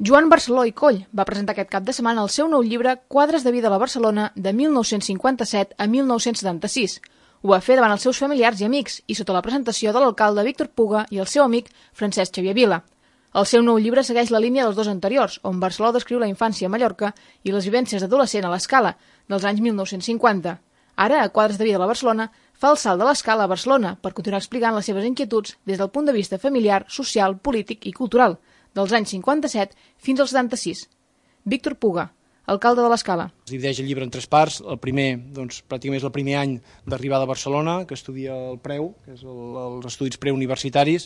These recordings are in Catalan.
Joan Barceló i Coll va presentar aquest cap de setmana el seu nou llibre Quadres de vida a la Barcelona de 1957 a 1976. Ho va fer davant els seus familiars i amics i sota la presentació de l'alcalde Víctor Puga i el seu amic Francesc Xavier Vila. El seu nou llibre segueix la línia dels dos anteriors, on Barceló descriu la infància a Mallorca i les vivències d'adolescent a l'Escala, dels anys 1950. Ara, a Quadres de vida a la Barcelona, fa el salt de l'Escala a Barcelona per continuar explicant les seves inquietuds des del punt de vista familiar, social, polític i cultural, dels anys 57 fins als 76. Víctor Puga, alcalde de l'Escala. Es divideix el llibre en tres parts. El primer, pràcticament és el primer any d'arribada a Barcelona, que estudia el preu, que és els estudis preuniversitaris.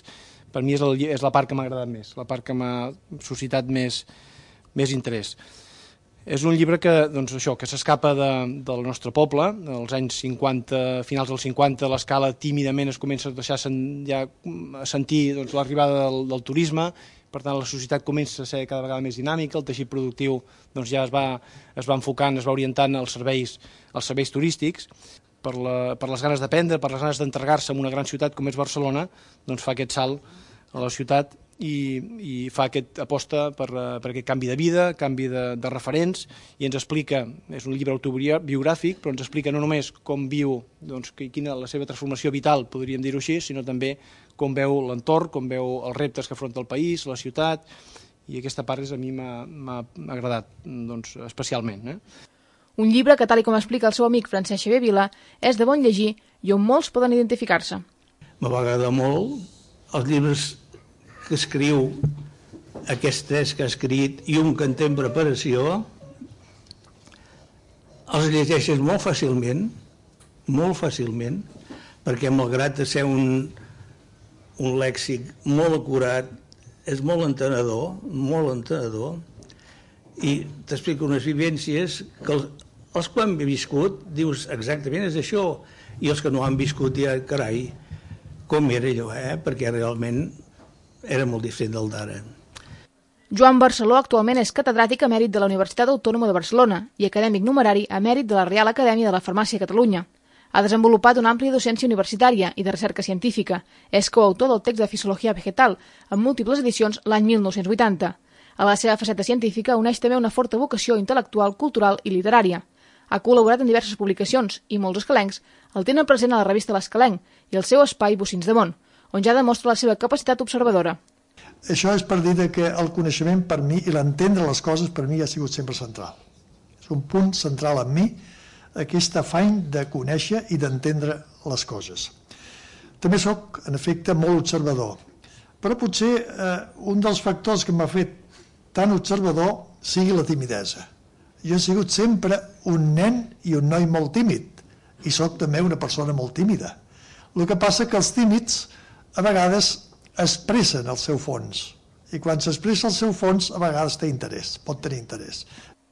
Per mi és la part que m'ha agradat més, la part que m'ha suscitat més interès. És un llibre que s'escapa del nostre poble. Als anys 50, finals dels 50, l'Escala tímidament es comença a deixar a sentir l'arribada del turisme. Per tant, la societat comença a ser cada vegada més dinàmica, el teixit productiu ja es va enfocant, es va orientant als serveis turístics. Per les ganes d'aprendre, per les ganes d'entregar-se en una gran ciutat com és Barcelona, fa aquest salt a la ciutat i fa aposta per aquest canvi de vida, canvi de referents, i ens explica, és un llibre autobiogràfic, però ens explica no només com viu, quina la seva transformació vital, podríem dir-ho així, sinó també com veu l'entorn, com veu els reptes que afronta el país, la ciutat, i aquesta part a mi m'ha agradat especialment. Un llibre que, tal com explica el seu amic Francesc Xavier Vila, és de bon llegir i on molts poden identificar-se. Me va agradar molt els llibres que escriu, aquests tres que ha escrit i un que en té en preparació, els llegeixes molt fàcilment, perquè malgrat ser un lèxic molt acurat, és molt entenedor, i t'explica unes vivències que els que han viscut dius exactament és això, i els que no han viscut ja, carai, com era allò, perquè realment era molt diferent del d'ara. Joan Barceló actualment és catedràtic emèrit de la Universitat Autònoma de Barcelona i acadèmic numerari emèrit de la Reial Acadèmia de la Farmàcia a Catalunya. Ha desenvolupat una àmplia docència universitària i de recerca científica. És coautor del text de Fisiologia Vegetal, en múltiples edicions l'any 1980. A la seva faceta científica uneix també una forta vocació intel·lectual, cultural i literària. Ha col·laborat en diverses publicacions i molts escalencs el tenen present a la revista L'Escalenc i el seu espai Bocins de Món, on ja demostra la seva capacitat observadora. Això és per dir que el coneixement per mi i l'entendre les coses per mi ha sigut sempre central. És un punt central en mi, aquest afany de conèixer i d'entendre les coses. També sóc, en efecte, molt observador, però potser un dels factors que m'ha fet tan observador sigui la timidesa. Jo he sigut sempre un nen i un noi molt tímid, i sóc també una persona molt tímida. El que passa que els tímids a vegades expressen el seu fons, i quan s'expressa el seu fons a vegades té interès, pot tenir interès.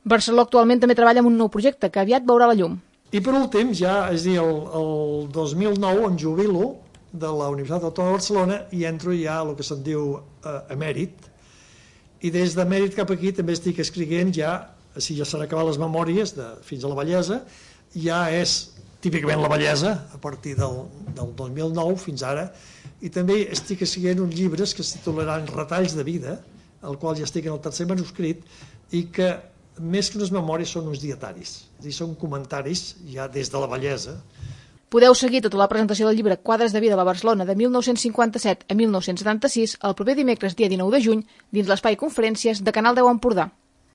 Barceló actualment també treballa en un nou projecte que aviat veurà la llum. I per últim, ja, és a dir, el 2009 em jubilo de la Universitat Autònoma de Barcelona i entro ja a el que se'n diu emèrit, i des d'emèrit cap aquí també estic escrivint ja, si ja s'han acabat les memòries fins a la vellesa, ja és típicament la bellesa, a partir del 2009 fins ara, i també estic escrivint uns llibres que es titularan Retalls de vida, el qual ja estic en el tercer manuscrit, i que més que unes memòries són uns dietaris, és a dir, són comentaris ja des de la bellesa. Podeu seguir tota la presentació del llibre Quadres de vida a la Barcelona de 1957 a 1976 el proper dimecres dia 19 de juny dins l'espai Conferències de Canal 10 Empordà.